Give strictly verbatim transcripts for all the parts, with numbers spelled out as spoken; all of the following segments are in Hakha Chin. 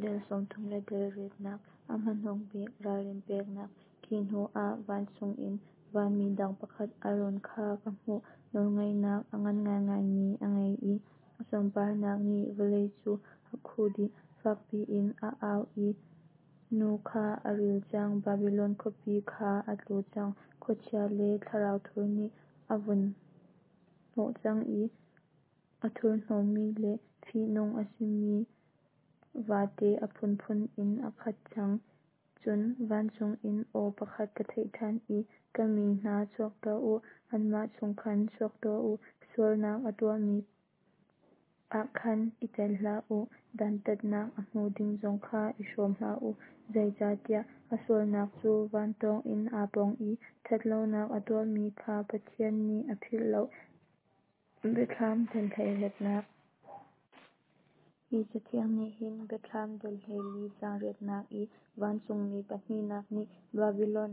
Dal sawmthum le dal riatnak A hmanung bik ralrin peknak. Khi hnu ah vancung in vanmi dang pakhat a lawn kha ka hmuh. Nawlngeihnak a ngan ngaingaimi a ngei i a sunparnak nih vawlei cu a khuh dih. Fak piin a au i, Nu kha a ril cang, Babilon khuapi kha a tlu cang! Khuachia le thlarau thur nih a vun hnawh cang i a thurhnawmmi le fihnung a simi vate a phunphun in a khat cang. Cun vancung in aw pakhat ka theih ṭhan i, Ka mi hna, chuak tuah u, anmah chung khan chuak tuah u, Sualnak a tuahmi ah khan i tel hlah u, Dantatnak a hmu ding zong kha i hrawm hlah u, Zeicahtiah a sualnak cu van tawng in aa pong i Ṭhat lonak a tuahmi kha Pathian nih a philh lo. Biathlam Dal hleiriatnak Hi cathiang nih hin Biathlam dal hleili caang riatnak i vancungmi pahnihnak nih Babilon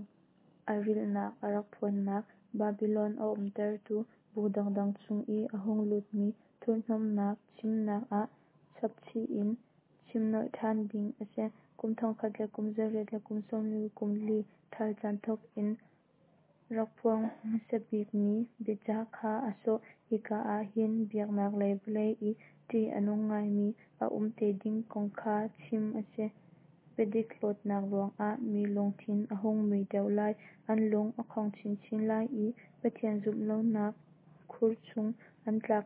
a rilhnak a rak phuannak, Babilon a umtertu bu dangdang chung i a hung lutmi thurhnomhnak chimnak ah chapchih in chim nolh ṭhan ding a si. Kum thongkhat le kum zariat le kum sawmli kum li ṭhal caan thawk in rak phuang hmasa bikmi biacah kha a sawh. Hika ah hin biaknak lei vawlei i ṭih a nung ngaimi a um te ding kong kha chim a si. Biadik hlawtnak ruangah mi lungthin a hung mui deuh lai, an lung a khong chinchin lai i Pathian zumh lonak khur chung an tlak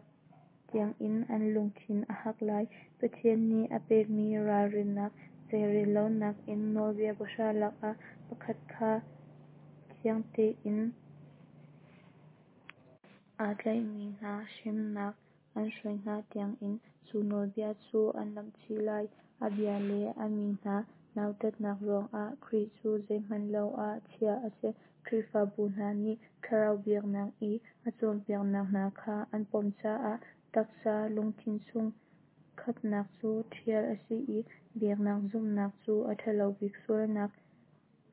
tiangin an lungthin a hak lai. Pathian nih a pekmi ralrinnak zeirel lonak in Nawlbia pahra lakah pakhat kha thiang tein aa tlaihmi hna hremnak an hruai hna tiangin cu nawlbia cu an lamhchih lai. A bia le a mi hna nautatnak ruangah Khrih cu zeihmanh lo ah chiah a si. Khrihfabu hna nih thlarau biaknak i a cawnpiaknak hna kha an pom caah taksa lungthin chung khatnak cu ṭhial a si i biaknak zumhnak cu a ṭhalo bik sualnak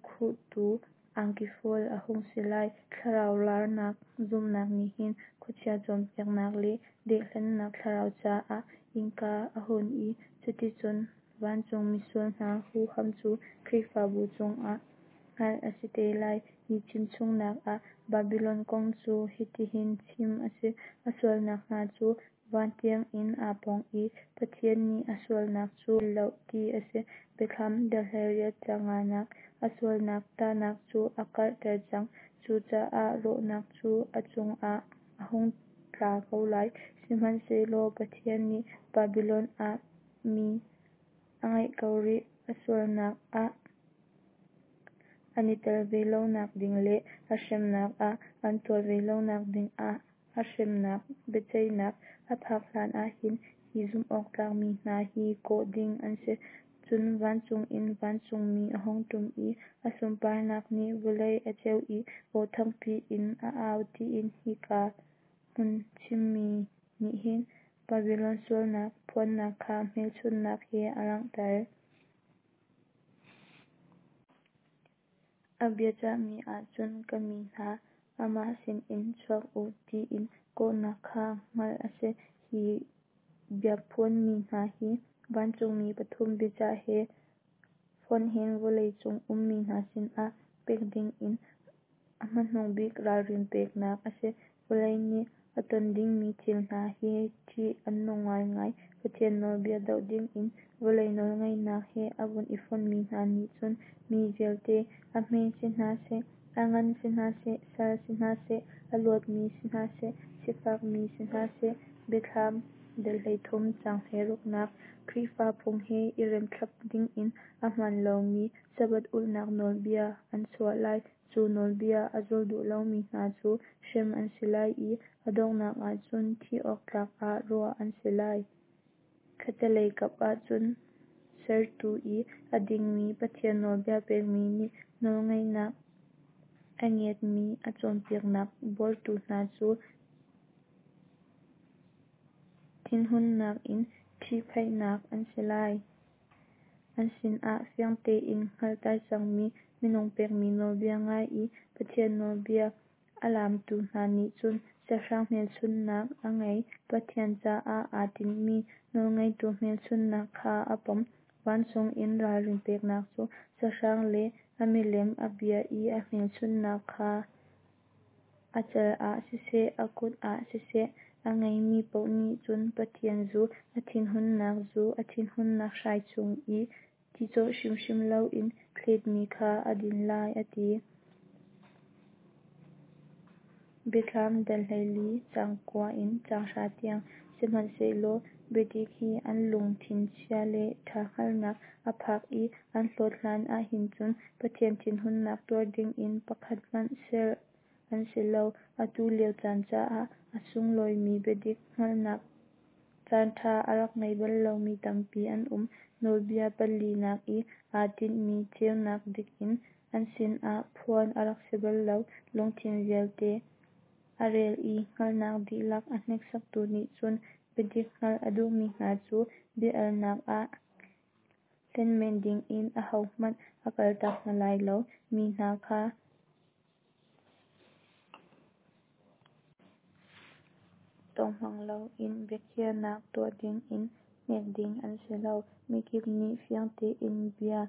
khuhtu angki fual a hung si lai. Thlarau larnak zumhnak nih hin khuachia cawnpiaknak le dehhlennak thlarau caah innka a hun i cuticun vancung misual hna huham cu Khrihfabu chungah hngalh a si te lai. Hi chimchungnak ah Babilon kong cu hitihin chim a si: A sualnak hna cu van tiangin aa pong i Pathian nih a sualnak cu a philh lo, ti a si. Biathlam dal hleiriat caang nganak A sualnak tahnak cu a karhter cang, cucaah rawhnak cu a cungah a hung tla ko lai. Sihmanhsehlaw Pathian nih Babilon ah mi a ngeih ko rih, a sualnak ah an i tel ve lonak ding le a hremnak ah an tuar ve lonak dingah a hremnak biaceihnak a phak hlanah hin hi zumhawktlak mi hna hi kawh ding an si. Cun vancung in vancungmi a hung ṭum i a sunparnak nih vawlei a ceuh i aw thangpi in a au tiin hika hmun chimmi nih hin Babilon sualnak phuannak kha hmelchunhnak he a langhter. A biacahmi ahcun Ka mi hna, amah sinin chuak u tiin kawhnak kha hngalh a si. Hi biaphuanmi hna hi vancungmi pathum biacah he fonhin vawleicung ummi hna sinah pek dingin a hmanung bik ralrin peknak a si. Vawlei nih a ton dingmi thil hna hi ṭih an nung ngaingai. Pathian nawlbia doh dingin vawlei nawlngeihnak he a vun i fonhmi hna nih cun mi vialte, a hme si hna seh, a ngan si hna seh, sal si hna seh, a luatmi si hna seh, sifakmi si hna seh, Biathlam dal hleithum caang hleiruknak Khrihfa phung he i rem thlap dingin a hmaan lomi Sabbath ulhnak nawlbia an chuah lai. Cu nawlbia a zul duh lomi hna cu hrem an si lai i a donghnak ahcun thih awk tlak ah ruah an si lai. Khattelei kap ahcun Sertu i a dingmi Pathian nawlbia pekmi nih nawlngeihnak a ngiatmi a cawnpiaknak buartu hna cu thinhunnak in ṭhihphaihnak an si lai. An sinah fiang tein hngalhter cangmi minung pekmi nawlbia ngai i Pathian nawlbia a laamtu hna nih cun sahrang hmelchunhnak a ngei, Pathian caah aa tinhmi nawlngeitu hmelchunhnak kha a pom. Vancung in ralrin peknak cu sahrang le a milem a bia i a hmelchunhnak kha a cal ah siseh, a kut ah siseh, a ngeimi paoh nih cun Pathian zu, a thinhunnak zu, a thinhunnak hrai chung i ti cawh hrimhrim loin thletmi kha an din lai, a ti. Biathlam dal hleili caang kua in caang hra tiang. Sihmanhsehlaw biadik hi an lungthin chia le ṭha hngalhnak a phak i an hlawt hlan ahhin cun Pathian thinhunnak tuar dingin pakhat hmanh ser an si lo. Atu lio caan caah a sunglawimi biadik hngalhnak caanṭha a rak ngei bal lomi tampi an um. Nawlbia palinak i aa tinhmi ceunak dik in an sinah phuan a rak si bal lo. Lungthin vialte a rel i hngalhnak dihlak a hneksaktu nih cun biadik hngalh a duhmi hna cu bia-alnak ah hlen men dingin ahohmanh a kaltak hna lai lo. Mi hna kha tawnghmang loin biakhiahnak tuah dingin hnek ding an si lo. Mikip nih fiang tein bia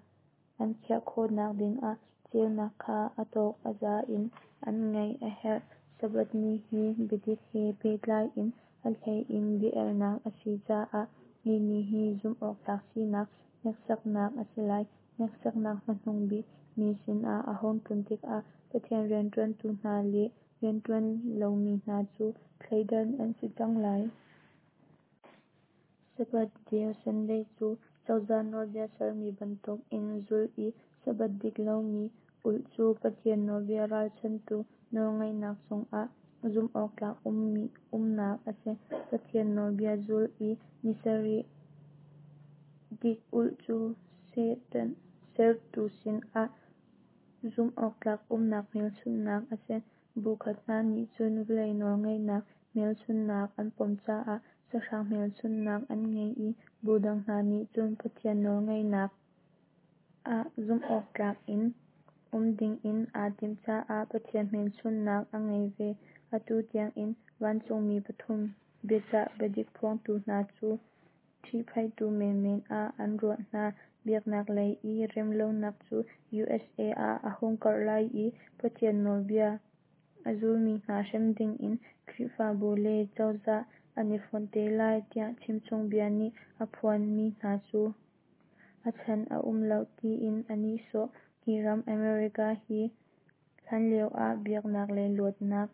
an khiah khawhnak dingah ceunak kha a tawk a za in an ngeih a herh. Sabbath ni hi biadik he pehtlai in a hlei in bia-alnak a si caah hi ni hi zumhawktlak sinak hneksaknak a si lai. Hneksaknak hmanung bik mi sinah a hung tlun tikah Pathian rianṭuantu hna le rianṭuan lomi hna cu thleidan an si cang lai. Sabbath deu Sunday cu cozah nawlbia sermi bantukin zulh i Sabbath dik lomi ulh cu Pathian nawlbia ralchanhtu nawlngeihnak cungah zumhawktlak umnak a si. Pathian nawlbia zulh i ni sarih dik ulh cu Satan sertu sinah zumhawktlak umnak hmelchunhnak a si. Bu khat hna nih cun vawlei nawlngeihnak hmelchunhnak an pom caah sahrang hmelchunhnak an ngei i bu dang hna nih cun Pathian nawlngeihnak ah zumhawktlak in um dingin aa timh caah Pathian hmelchunhnak a ngei ve. Atu tiangin vancungmi pathum biacah biadik phuangtu hna cu ṭhihphaihtu menmen ah an ruah hna. Biaknak lei i remlonak cu USA ah a hung karh lai i Pathian nawlbia a zulmi hna hrem dingin Khrihfabu le cozah an i fonh te lai tiah chimchungbia nih a phuanmi hna cu a chan a um lo tiin an nihsawh. Hi ram America hi hlanlio ah biaknak lei luatnak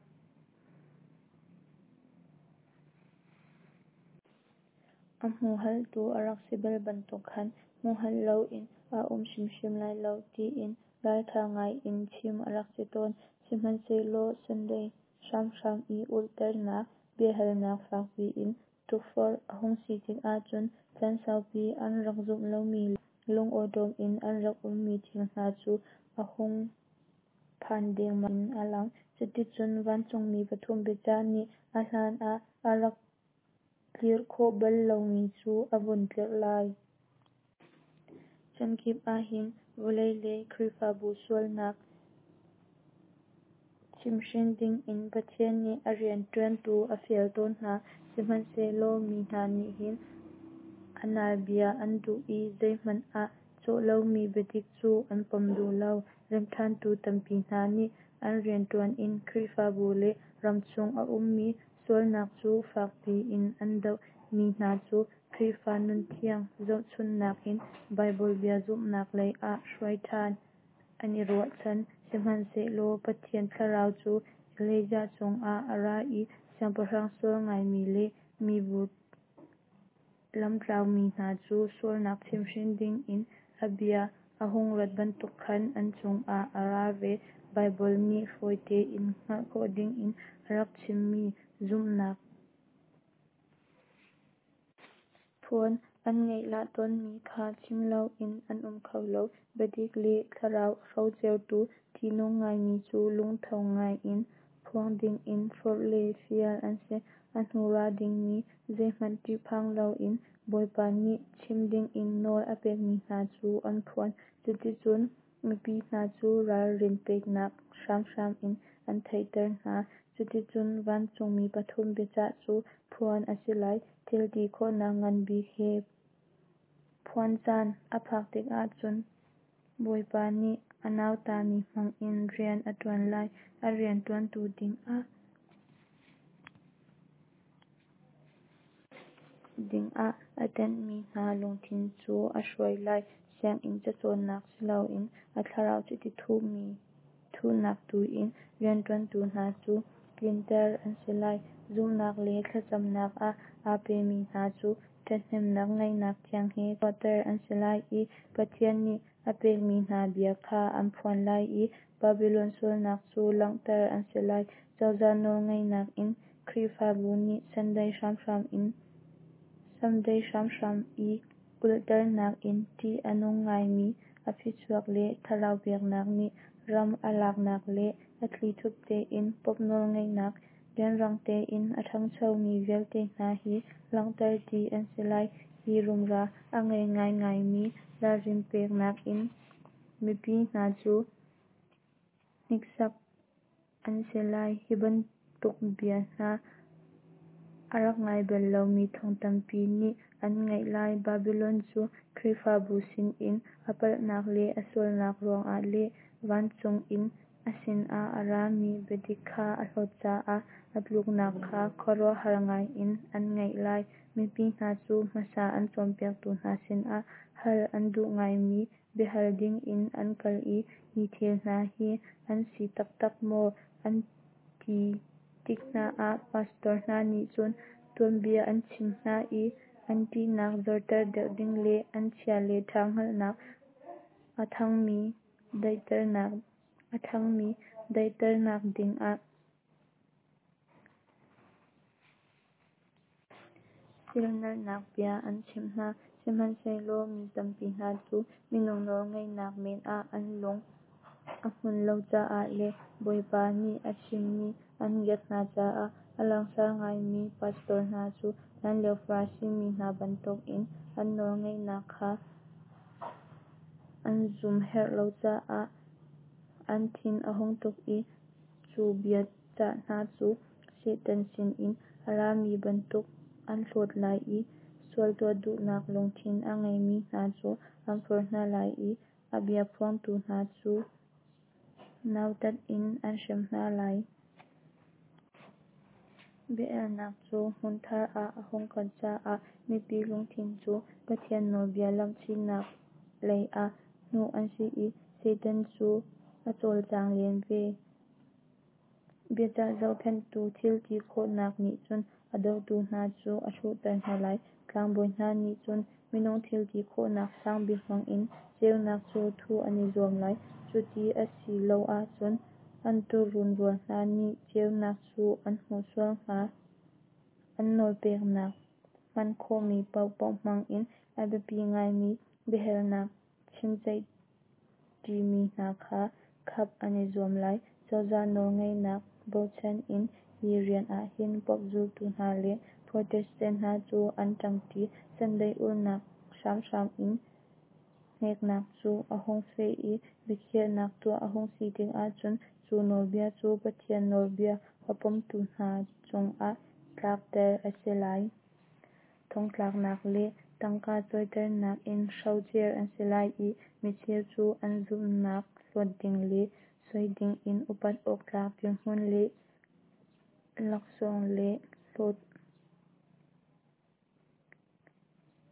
a humhalhtu a rak si bal bantuk khan humhalh loin a um hrimhrim lai lo tiin ralṭha ngaiin chim a rak si tawn. Sihmanhsehlaw Sunday hramhram i ulhternak biahalnak fak piin tukforh a hung si tikah cun caan saupi an rak zumh lomi le lungawṭawm in an rak ummi thil hna cu a hung phan dengmang in a lang. Cuticun vancungmi pathum biacah nih a hlan ah a rak tlirh khawh bal lomi cu a vun tlirh lai. Chan kip ahhin vawlei le Khrihfabu sualnak chimhhrin dingin Pathian nih a rianṭuantu a fial tawn hna. Sihmanhsehlaw mi hna nih hin a nal bia an duh i zeihmanh ah cawh lomi biadik cu an pom duh lo. Remhṭhantu tampi hna nih an rianṭuan in Khrihfabu le ramchung a ummi sualnak cu fak piin an doh. Mi hna cu Khrihfa nunthiang zohchunhnak in Baibal bia zumhnak lei ah hruai ṭhan an i ruahchan. Sihmanhsehlaw Pathian Thlarau cu Elijah cungah a ra i siangpahrang sual ngaimi le mibu lamtlaumi hna cu sualnak chimhhrin dingin a bia a hung rat bantuk khan an cungah a ra ve. Baibal nih fawi tein hngalh khawh dingin a rak chimmi zumhnak phuan, an ngaihlah tawnmi kha chim loin an um kho lo. Biadik le Thlarau a hrocertu ṭihnung ngaimi cu lungtho ngaiin phuang dingin forh le fial an si. A hnu ra dingmi zeihmanh ṭihphang loin Bawipa nih chim dingin nawl a pekmi hna cu an phuan. Cuticun mipi hna cu ralrin peknak hramhram in an theihter hna. Cuticun vancungmi pathum biacah cu phuan a si lai. Thil ti khawhnak ngan bik he Phuan caan a phak tikah cun Bawipa nih a nautami hmangin rian a ṭuan lai. A rianṭuantu dingah dingah a tenhmi hna lungthin cu a hruai lai. Sianginn cacawnnak siloin a thlarau chiti thuhmi thuhnak tuin rianṭuantu hna cu tlinter an si lai. Zumhnak le thlacamnak ah aa pemi hna cu ṭhathnemnak ngaihnak thiang he chuahter an si lai i Pathian nih a pekmi hna bia kha an phuan lai i Babilon sualnak cu langhter an si lai. Cozah nawlngeihnak in Khrihfabu nih Sunday hramhram in Sunday hramhram i ulhternak in ṭih a nung ngaimi a phichuak le thlarau biaknak nih ram a laknak le a thlithup tein Pope nawlngeihnak rianrang tein a ṭhangchomi vialte hna hi langhter dih an si lai. Hi rumra a ngei ngaingaimi ralrin peknak in mipi hna cu hniksak an si lai. Hi bantuk bia hna a rak ngai bal lomi thong tampi nih an ngaih lai. Babilon cu Khrihfabu sinin a palhnak le a sualnak ruangah le vancung in a sinah a rami biadik kha a hlawt caah a tluknak kha khuaruahhar ngaiin an ngaih lai. Mipi hna cu hmasa an cawnpiaktu hna sinah hal an duh ngaimi biahal dingin an kal i hi thil hna hi an si taktak maw an ti tik hna ah pastor hna nih cun tuanbia an chimh hna i an ṭihnak zorter deuh ding le an chia le ṭha hngalhnak a ṭhangmi daihternak a ṭhangmi daihternak dingah silhnalhnak bia an chimh hna. Sihmanhsehlaw mi tampi hna cu minung nawlngeihnak men ah an lung a hmun lo caah le Bawipa nih a chimmi an ngiat hna caah a langsar ngaimi pastor hna cu hlanlio Farasi mi hna bantukin an nawlngeihnak kha an zumherh lo caah an thin a hung tuk i cu biacah hna cu Satan sinin a rami bantuk an hlawt lai i sual tuah duhnak lungthin a ngeimi hna cu an forh hna lai i a bia phuangtu hna cu nautat in an hrem hna lai. Bia-elnak cu hmunthar ah a hung kal caah mipi lungthin cu Pathian nawlbia lamhchihnak lei ah hnuh an si i Satan cu a cawlcang len ve. Biacah zohkhenhtu thilti khawhnak nih cun a dotu hna cu a hruhter hna lai. Tlangbawi hna nih cun minung thilti khawhnak sangbik hmangin ceunak cu thuh an i zuam lai, cuti a si lo ahcun an tuurun rual hna nih ceunak cu an hmuh sual hnga. An nawlpeknak hman khawhmi paohpaoh hmangin a biapi ngaimi biahalnak chimceih ṭimi hna kha khap an i zuam lai. Cozah nawlngeihnak bochan in hi rian ah hin Pope zultu hna le Protestant hna cu an ṭangṭi. Sunday ulhnak hramhram in hneknak cu a hung feh i biakhiahnak tuah a hung si tikah cun cu nawlbia cu Pathian nawlbia a pomtu hna cungah tlakter a si lai. Thongtlaknak le tangka cawiternak in hrocer an si lai i micheu cu an zumhnak hlawt ding le soi dingin upat awktlak dirhmun le laksawng le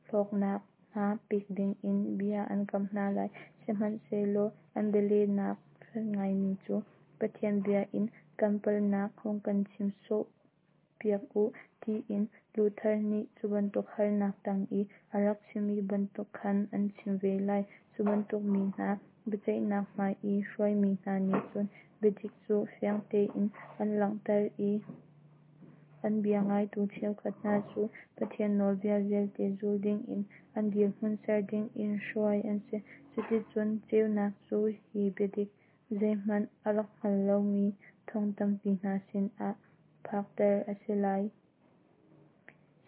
hlawknak hna pek dingin bia an kamh hna lai. Sihmanhsehlaw an bialehnak fek ngaimi cu Pathian bia in kan palhnak hung kan chim sawh piak u, tiin Luther nih cubantuk harnak tang i a rak chimmi bantuk khan an chim ve lai. Cubantuk mi hna biaceihnak hmai i hruaimi hna nih cun biadik cu fiang tein an langhter i an bia ngaitu cheukhat hna cu Pathian nawlbia vialte zul dingin an dirhmun ser dingin hruai an si. Cuticun ceunak cu hi biadik zeihmanh a rak hngal lomi thong tampi hna sinah phakter a si lai.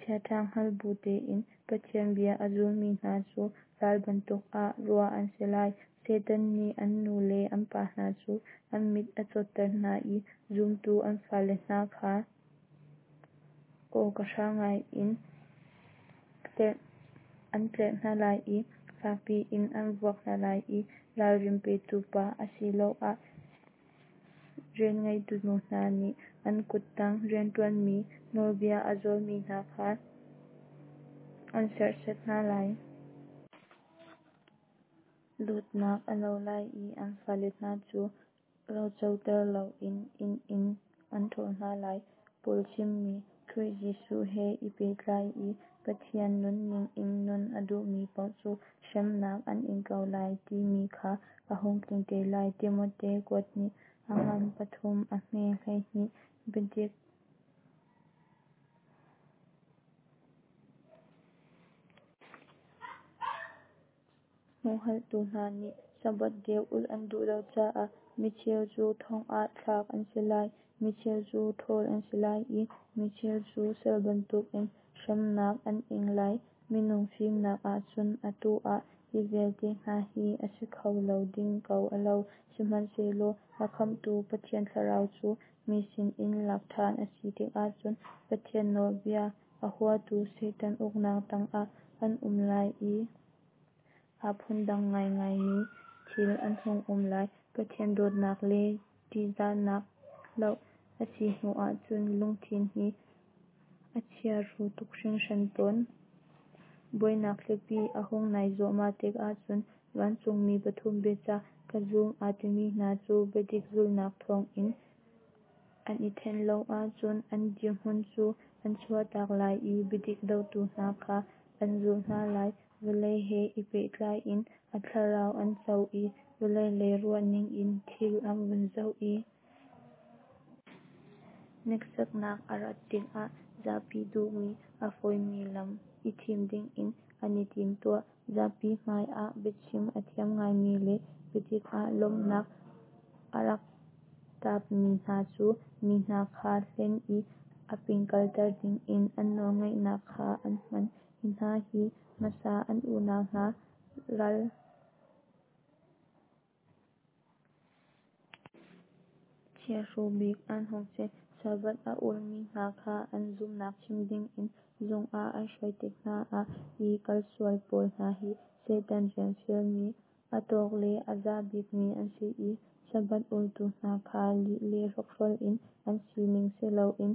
Chiaṭha hngal bu tein Pathian bia a zulmi hna cu ral bantuk ah ruah an si lai. Satan nih an nu le an pa hna cu an mit a cawtter hna i zumtu an fale hna kha awka hrang ngaiin An tlerh hna lai i fak piin an vuak hna lai i ralrin petu pa asiloah rianngeitu nu hna nih an kuttang rianṭuanmi nawlbia a zulmi hna kha an serhsat hna lai. Dawtnak a lo lai i an fale hna cu rocoter loin inn in an ṭhawl hna lai. Paul chimmi, Khrih Jesuh he i pehtlai i Pathian nunning in nun a duhmi paoh cu hremnak an ing ko lai timi kha a hung tling te lai. Timote kuathnih a ngan pathum a hme hleihnih. Biadik humhalhtu hna nih Sabbath deu ulh an duh lo caah micheu cu thong ah thlak an si lai, micheu cu ṭhawl an si lai i micheu cu sal bantukin hremnak an ing lai. Minung fimnak ahcun atu ah hi vialte hna hi a si kho lo ding ko a lo, sihmanhsehlaw a khamhtu Pathian Thlarau cu mi sinin lak ṭhan a si tikah cun Pathian nawlbia a huatu Satan uknak tangah an um lai i aa phundang ngaingaimi thil an hung um lai. Pathian dawtnak le ṭihzahnak hloh a si hnuah cun lungthin hi a chiahru tuk hringhran tawn. Buainak thlipi a hung nai zuahmah tikah cun vancungmi pathum biacah ka zum aa timi hna cu biadik zulhnak thawngin an i thenh lo ahcun an dirhmun cu an chuahtak lai i biadik dotu hna kha an zulh hna lai. Vawlei he i pehtlai in a thlarau an co i vawlei lei ruahning in thil an vun zoh i hneksaknak a rat tikah zapi duhmi a fawimi lam i thim dingin an i timtuah. Zapi hmai ah biachim a thiam ngaimi le biadik ah lawmhnak a rak taapmi hna cu mi hna kha hlen i a ping kalter dingin an nawlngeihnak kha an hman. Hi hna hi hmasa an unau hna ral chiahru bik an hung si. Sabbath a ulmi hna kha an zumhnak chim dingin zung ah an hruai tik hna ah hi kalsual pawl hna hi Satan rian fialmi a tawk le a za bikmi an si i Sabbath ultu hna kha lih le hrokhrawl in an sining si loin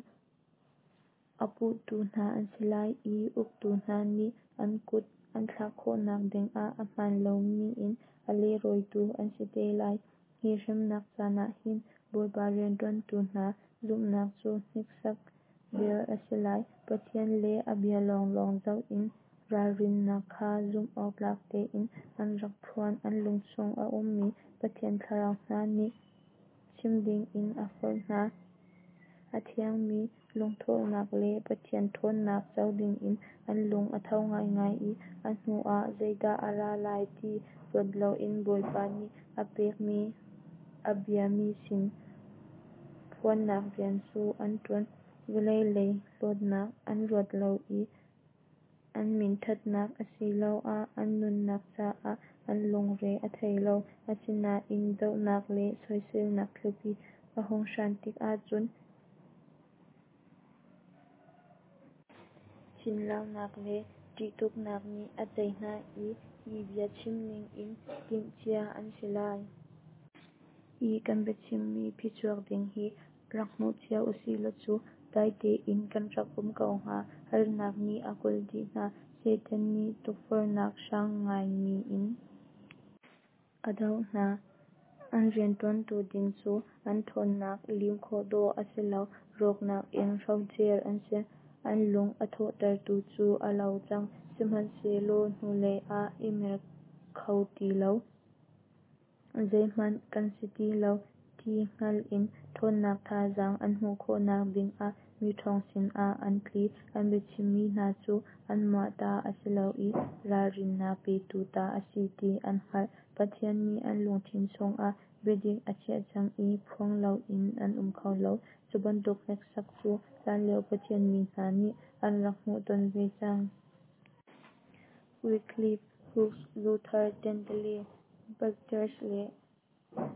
a puhtu hna an si lai i uktu hna nih an kut an thlak khawhnak dingah a hmaan lomi in a leirawitu an si te lai. Hi hremnak caan ah hin Bawipa rianṭuantu hna zumhnak cu hneksak bel a si lai. Pathian le a bia lawnglawng zoh in ralrinnak kha zumh awktlak tein an rak phuan. An lungchung a ummi Pathian Thlarau hna nih chim dingin a forh hna. A thiangmi lungthawhnak le Pathian ṭhawnnak co dingin an lung a tho ngaingai i a hnu ah zeidah a ra lai ti ruat loin Bawipa nih a pekmi a bia mi sin phuannak rian cu an ṭuan. Vawlei lei hlawtnak an ruat lo i an minṭhatnak asiloah an nunnak caah an lungre a thei lo. Asinain dohnak le soiselnak thlipi a hung hran tikah cun thinlaunak le ṭihtuknak nih a tei hna i hi bia chim dingin timhcia an si lai. Hi kan biachimmi phichuak ding hi rak hmu cia usihlaw cu dai tein kan rak um ko hnga. Harnak nih a kulh dih hna. Satan nih tukforhnak hrang ngaimi in a doh hna. An rianṭuantu ding cu an ṭhawnnak lim khawh dawh a si lo. Rawknak in hrocer an si. An lung a thawhtertu cu a lo cang, sihmanhsehlaw hnulei ah i mer kho ti lo, zeihmanh kan si ti lo ti hngal in ṭhawnnak thazaang an hmuh khawhnak dingah miṭhawng sinah an tli. An biachimmi hna cu anmah ta a si lo i ralrinnak petu ta a si ti an hngalh. Pathian nih an lungthin chungah biadik a chiah cang i phuang loin an um kho lo. Cu bantuk hneksak cu hlanlio Pathian mi hna nih an rak hmuhton ve cang. Wycliffe, Hus, Luther, Tyndale, Bucerus le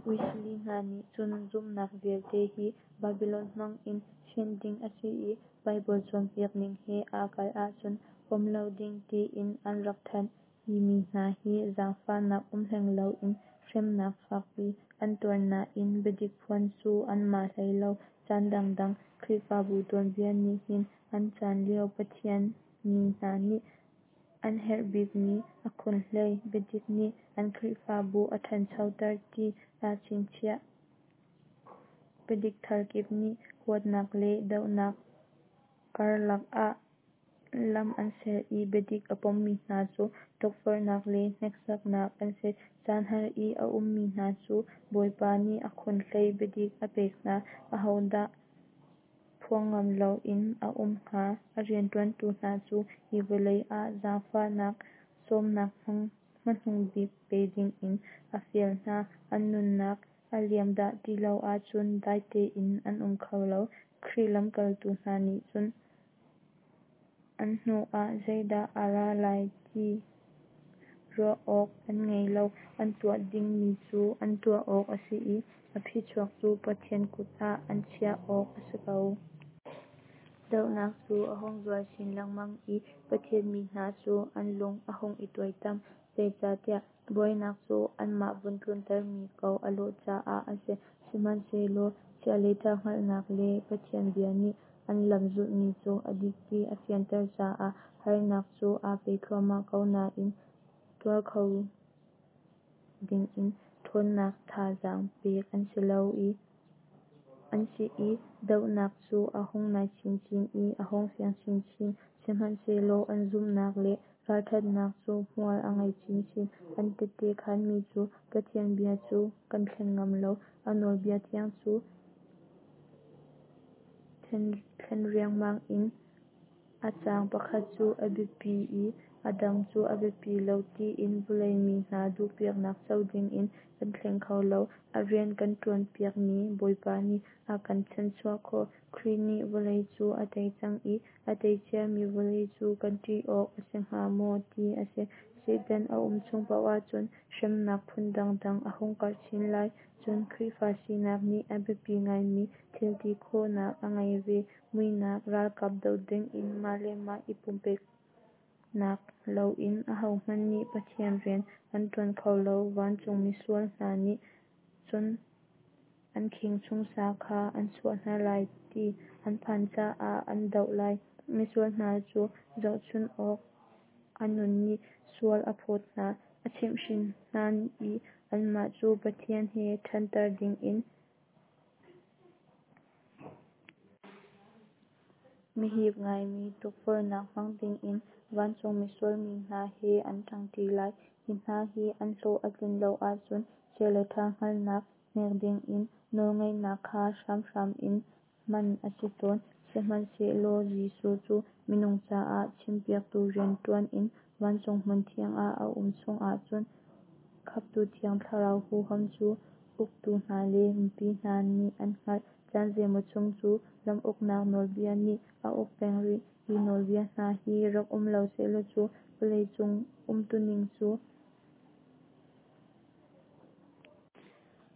Wesley hna nih cun zumhnak vialte hi Babylon hmang in fenh ding a si i Bible cawnpiak ning he aa kalh ahcun pom lo ding tiin an rak thanh. Hi mi hna hi zaangfahnak um hleng loin hremnak fakpi an tuar nain biadik phuan cu an ma hlei lo. Caan dangdang Khrihfabu tuanbia nih hin an caan lio Pathian mi hna nih an herh bikmi a khunhlei, biadik nih an Khrihfabu a ṭhanchoter ti aa chingchiah. Biadik thar kip nih huatnak le dohnak karlak ah lam an ser i biadik a pommi hna cu tukforhnak le hneksaknak an si. Caan har i a ummi hna cu Bawipa nih a khunhlei biadik a pek hna. Ahodah phuang ngam loin a um hnga? A rianṭuantu hna cu hi vawlei ah zaangfahnak sawmnak hmanung bik pe dingin a fial hna. An nunnak a liam dah ti lo ahcun dai tein an um kho lo. Khrih lamkaltu hna nih cun an hnu ah zeidah a ra lai ti ruah awk an ngei lo. An tuah dingmi cu an tuah awk a si i a phichuak cu Pathian kut ah an chiah awk a si ko. Dohnak cu a hung zual chin lengmang i Pathian mi hna cu an lung a hung i tuaitam, zeicahtiah buainak cu anmah vun tluntermi ko a lawh caah a si. Sihmanhsehlaw chia le ṭha hngalhnak le Pathian bia nih an lam zulhmi cu a dik ti a fianter caah harnak cu aa peh thluahmah ko nain tuar kho dingin ṭhawnnak thazaang pek an si lo i an si i dohnak cu a hung nai chinchin i a hung fiang chinchin. Sihmanhsehlaw an zumhnak le ralṭhatnak cu hmual a ngei chinchin. An tehte khaanmi cu, Pathian bia cu kan thleng ngam lo, a nawlbia thiang cu thlen riangmang in a caang pakhat cu a biapi i a dang cu a biapi lo tiin vawlei mi hna duhpiaknak co dingin kan thleng kho lo. A rian kan ṭuanpiakmi Bawipa nih a kan chanhchuah khawh. Khrih nih vawlei cu a tei cang i a tei ciami vawlei cu kan ṭih awk a si hnga maw ti a si. Satan a um chung paoh ahcun hremnak phun dangdang a hung karh chin lai. Cun Khrihfa sinak nih a biapi ngaimi thil ti khawhnak a ngei ve. Muihnak ralkap doh dingin mah le mah i pumpeknak loin ahohmanh nih Pathian rian an ṭuan kho lo. Vancung misual hna nih cun an kheng chung sa kha an chuah hna lai ti an phan caah an doh lai. Misual hna cu zohchunh awk a nun nih sual a phawt hna, a chimhhrin hna i anmah cu Pathian he ṭhanter dingin mihip ngaimi tukforhnak hmang dingin vancung misual mi hna he an ṭangṭi lai. Hi hna hi an hlawh a tlin lo ahcun chia le ṭha hngalhnak hnek dingin nawlngeihnak kha hramhram in hman a si tawn. Sihmanhsehlaw Jesuh cu minung caah chimpiaktu rian ṭuan in vancung hmunthiang ah a um chung ahcun Khamhtu Thiang Thlarau huham cu uktu hna le mipi hna nih an hngalh. Caan zeimaw chung cu ram uknak nawlbia nih a uk peng rih. Hi nawlbia hna hi rak um lo sehlaw cu vawlei cung umtuning cu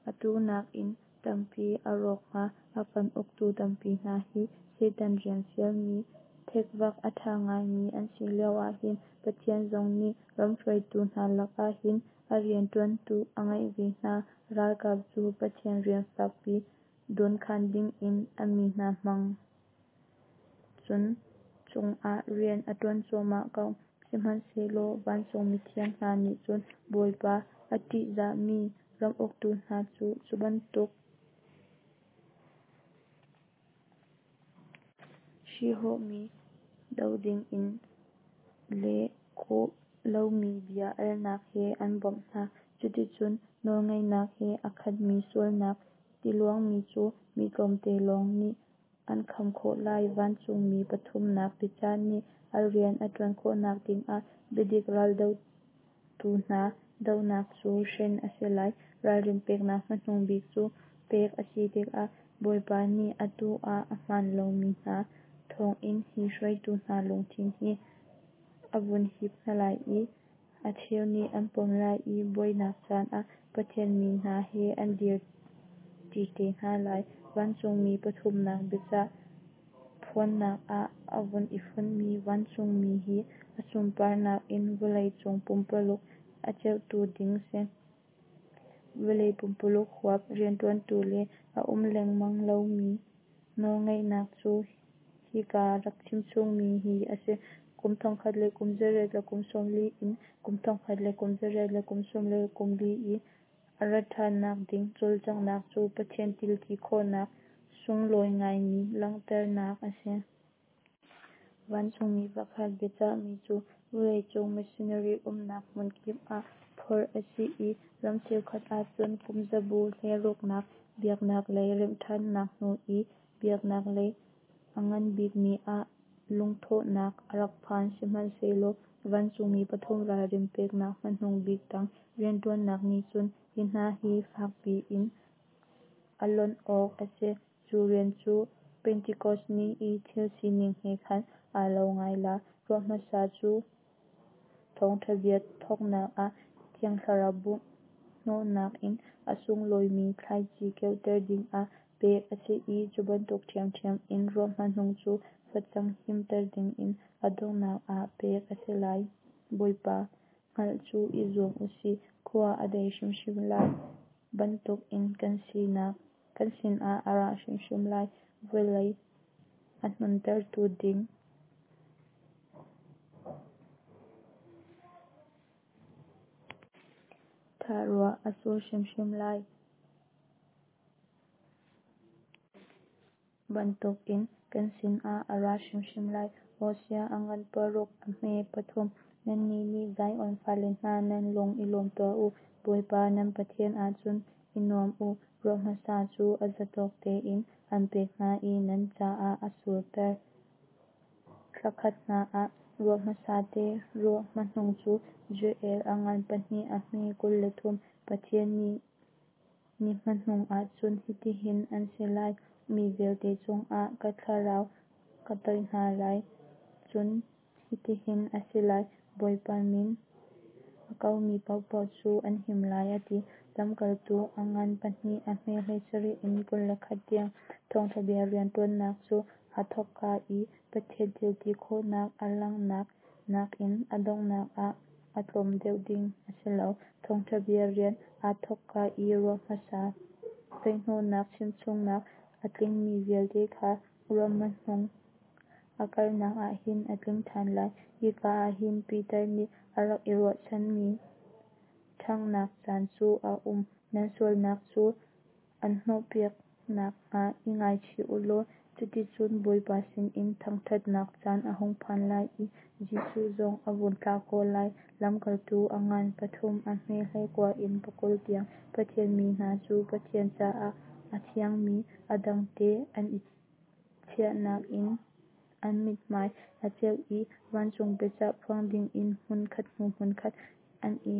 atu nakin tampi a rawk hnga. A kan uktu tampi hna hi Satan rian fialmi thekvak a ṭha ngaimi an si lio ahhin Pathian zong nih ram hruaitu hna lakah hin a rianṭuantu a ngeih ve hna. Ralkap cu Pathian rian fakpi dawnkhan dingin a mi hna hmang cun cungah rian a ṭuan cuahmah ko. Sihmanhsehlaw vancung mithiang hna nih cun Bawipa a ṭihzahmi ram uktu hna cu cu bantuk hrihhawhmi doh dingin leh khawh lomi bia alnak he an bawmh hna. Cuticun nawlngeihnak he a khatmi sualnak tiluangmi cu mi tlawmte lawng nih an kham khawh lai. Vancungmi pathumnak biacah nih a rian a ṭuan khawhnak dingah biadik raldotu hna dohnak cu hren a si lai. Ralrin peknak hmanung bik cu pek a si tikah Bawipa nih atu ah a hmaan lomi hna thawngin hi hruaitu hna lungthin hi a vun hip hna lai i a cheu nih an pom lai i buainak caan ah Pathian mi hna he an dir ṭi te hna lai. Vancungmi pathumnak biacah phuannak ah a vun i fonhmi vancungmi hi a sunparnak in vawlei cung pumpaluk a ceuhtu ding si. Vawlei pumpaluk huap rianṭuantu le a um lengmang lomi nawlngeihnak cu hika rak chimchungmi hi a si. Kum thongkhat le kum zariat le kum sawmli in kum thongkhat le kum zariat le kum sawm le kum li i a rat ṭhannak ding cawlcanghnak cu Pathian thilti khawhnak sunglawi ngaimi langhternak a si. Vancungmi pakhat biacahmi cu vawleicung missionary umnak hmunkip ah phorh a si i ram cheukhat ahcun kum zabu hleiruknak biaknak lei remhṭhannak hnu i biaknak lei a nganbikmi ah lungthawhnak a rak phan. Sihmanhsehlaw vancungmi pathum ralrin peknak hmanung bik tang rianṭuannak nih cun hi hna hi fakpi in a lonh awk a si. Cu rian cu Pentekos ni i thil sining he khan aa lo ngai lai. Ruah hmasa cu thawngṭhabia thawknak ah Thiang Thlarau bungh hnawhnak in a sunglawimi thlaici keuhter dingah pek a si i cubantuk ṭhiamṭhiam in ruah hmanung cu facang himter dingin a donghnak ah pek a si lai. Bawipa hngalh cu i zuam u sih, khua a dei hrimhrim lai bantukin kan sinah a ra hrimhrim lai. Vawlei a hnontertu ding ṭhal ruah a sur hrimhrim lai bantukin kan sinah a ra hrimhrim lai. Hosea a ngan paruk a hme pathum. Nannih nih Zion fale hna, nan lung i lawm tuah u, Bawipa nan Pathian ah cun i nuam u. Ruah hmasa cu a zatawk tein an pek hna i nan caah a surter thla khat hna ah ruah hmasate ruah hmanung cu. Joel a ngan pahnih a hme kul le thum. Pathian nih ni hmanung ah cun hitihin an si lai, mi vialte cungah ka thlarau ka toih hna lai, cun hitihin a si lai, Bawipa min a komi paohpaoh cu an him lai, a ti. Lamkaltu a ngan pahnih a hme hleisarih in kul le khat tiang. Thawngṭha bia rianṭuannak cu aa thawkka i Pathian thilti khawhnak a langhnak nakin a donghnak ah a tlawm deuh ding a si lo. Thawngṭha bia rian aa thawkka i ruah hmasa toihhnawhnak chimchungnak a tlingmi vialte kha ruah hmanung a kalnak ah hin a tling ṭhan lai. Hika ah hin Peter nih a rak i ruahchanmi ṭhanghnak caan cu a um. Nan sualnak cu an hnawhpiak nakhnga i ngaichih u law cuticun Bawipa sinin thangṭhatnak caan a hung phan lai i Jesuh zong a vun thlah khawh lai. Lamkaltu a ngan pathum a hme hleikua in pakul tiang. Pathian mi hna cu Pathian caah a thiangmi a dangte an i chiahnak in an mithmai a ceu i vancung biacah phuang dingin hmunkhat hnu hmunkhat an i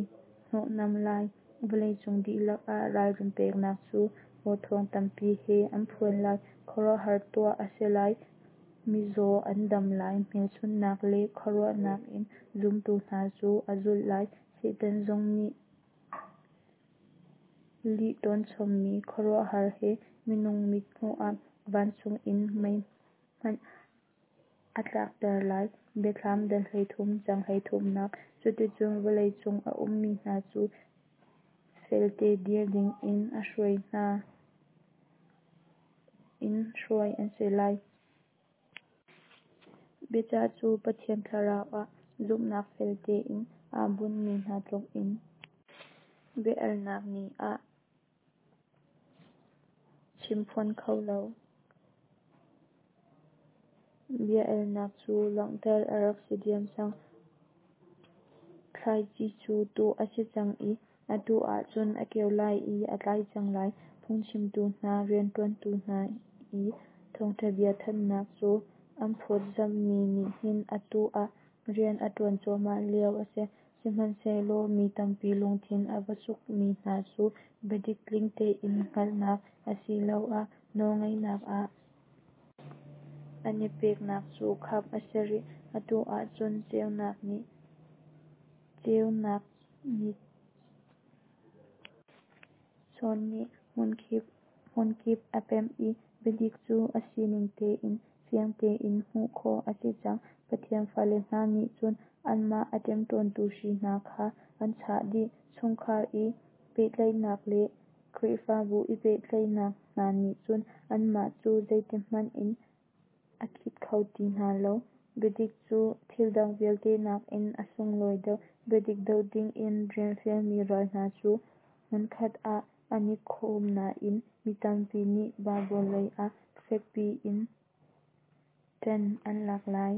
hnawhnam lai. Vawleicung dihlak ah ralrin peknak cu aw thawng tampi he an phuan lai. Khuaruahhar tuah a si lai, mizaw an dam lai, hmelchunhnak le khuaruahnak in zumtu hna cu a zulh lai. Satan zong nih lih ṭawnchommi khuaruahhar he minung mit hmuh ah vancung in mei hmanh a tlakter lai. Biathlam dal hleithum cang hleithumnak. Cuticun vawleicung a ummi hna cu felte dir dingin a hruai hna in hruai an si lai. Biacah cu Pathian Thlarau ah zumhnak fel tein aa bunhmi hna tlukin bia-alnak nih a chimphuan kho lo. Bia-alnak cu langhter a rak si diam cang. Thlaici cu tuh a si cang i atu ah cun a keo lai i a tlai cang lai. Phungchimtu hna rianṭuantu hna i thawngṭha bia thanhnak cu an phawtzamhmi nih hin atu ah rian a ṭuan cuahmah lio a si. Sihmanhsehlaw mi tampi lungthin a va sukmi hna cu biadik tling tein hngalhnak asiloah nawlngeihnak ah an i peknak cu kham a si rih. Atu ah cun ceunak nih ceunak ni chawn nih hmunkip a pemh i biadik cu a sining tein fiang tein hmuh khawh a si cang. Pathian fale hna nih cun Anmah a ṭemṭawntu hri hna kha an chah dih. Chungkhar i pehtlaihnak le Khrihfabu i pehtlaihnak hna nih cun anmah cu zeitihmanh in a khit kho ti hna lo. Biadik cu thildang vialte nakin a sunglawi deuh. Biadik doh dingin rian fialmi ral hna cu hmunkhat ah an i khawm nain mi tampi nih Baibal lei ah fekpi in ṭan an lak lai.